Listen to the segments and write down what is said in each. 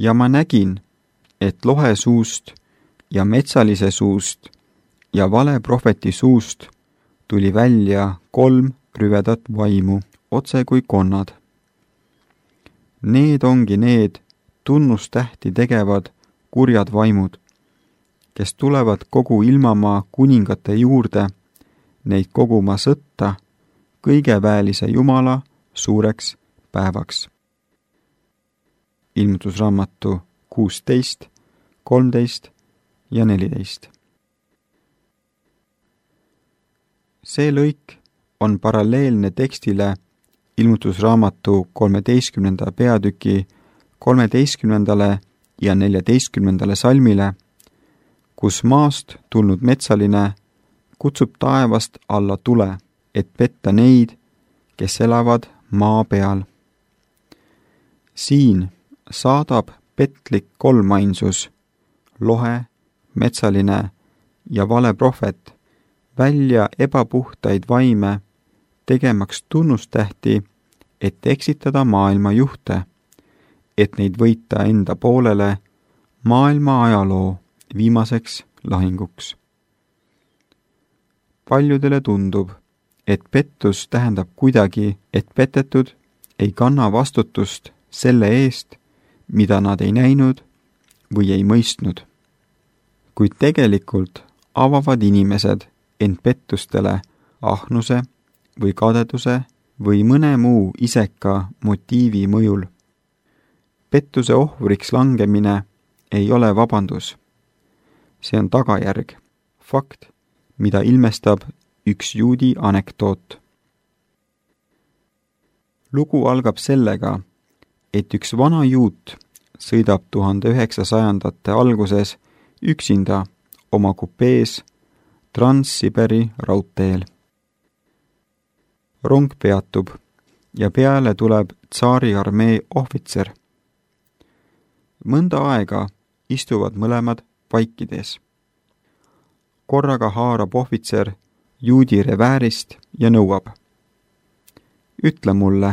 Ja ma nägin, et lohe suust ja metsalise suust ja valeprohveti suust tuli välja 3 rüvedat vaimu, otse kui konnad. Need ongi need tunnustähti tegevad kurjad vaimud, kes tulevad kogu ilmamaa kuningate juurde neid koguma sõtta kõigeväelise Jumala suureks päevaks. Ilmutusraamatu 16, 13 ja 14. See lõik on paralleelne tekstile Ilmutusraamatu 13. peatüki 13. ja 14. salmile, kus maast tulnud metsaline kutsub taevast alla tule, et petta neid, kes elavad maa peal. Siin saadab petlik kolmainsus, lohe, metsaline ja valeprohvet, välja ebapuhtaid vaime, tegemaks tunnustähti, et eksitada maailma juhte, et neid võita enda poolele maailma ajaloo viimaseks lahinguks. Paljudele tundub, et pettus tähendab kuidagi, et petetud ei kanna vastutust selle eest, mida nad ei näinud või ei mõistnud. Kuid tegelikult avavad inimesed end pettustele ahnuse või kadeduse või mõne muu iseka motiivi mõjul. Pettuse ohvriks langemine ei ole vabandus. See on tagajärg, fakt, mida ilmestab üks juudi anekdoot. Lugu algab sellega, et üks vana juut sõidab 1900. alguses üksinda oma kupees Trans-Siberi raudteel. Rong peatub ja peale tuleb tsaari armee ohvitser. Mõnda aega istuvad mõlemad vaikides. Korraga haarab ohvitser juudi reväärist ja nõuab. Ütle mulle,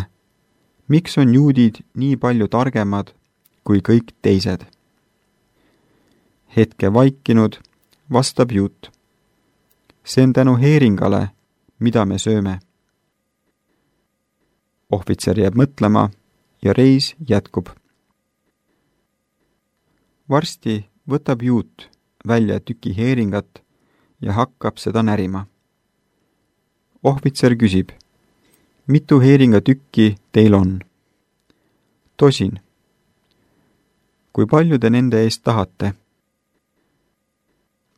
miks on juudid nii palju targemad kui kõik teised? Hetke vaikinud vastab juut. See on tänu heeringale, mida me sööme. Ohvitser jääb mõtlema ja reis jätkub. Varsti võtab juut välja tüki heeringat ja hakkab seda närima. Ohvitser küsib, mitu heeringatükki teil on? Tosin. Kui palju te nende eest tahate?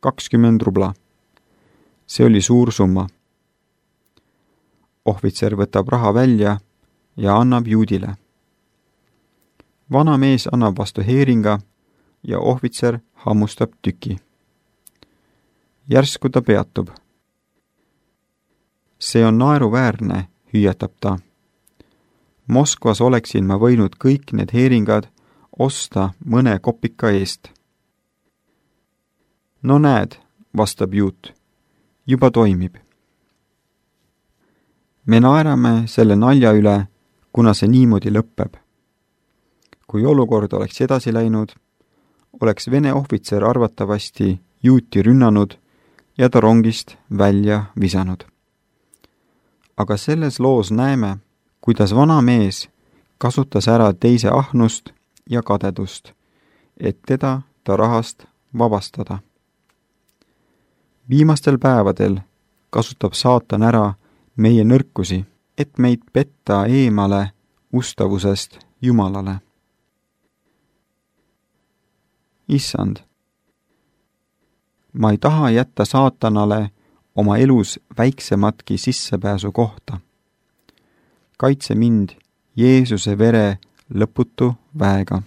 20 rubla. See oli suur summa. Ohvitser võtab raha välja ja annab juudile. Vana mees annab vastu heeringa ja ohvitser hammustab tüki. Järsku ta peatub. See on naeruväärne, hüüatab ta. Moskvas oleksin ma võinud kõik need heeringad osta mõne kopika eest. No näed, vastab juut, juba toimib. Me naerame selle nalja üle, kuna see niimoodi lõpeb. Kui olukord oleks edasi läinud, oleks Vene ohvitser arvatavasti juuti rünnanud ja ta rongist välja visanud. Aga selles loos näeme, kuidas vana mees kasutas ära teise ahnust ja kadedust, et teda ta rahast vabastada. Viimastel päevadel kasutab saatan ära meie nõrkusi, et meid petta eemale ustavusest Jumalale. Issand, ma ei taha jätta saatanale oma elus väiksematki sissepääsu kohta. Kaitse mind Jeesuse vere lõputu väega.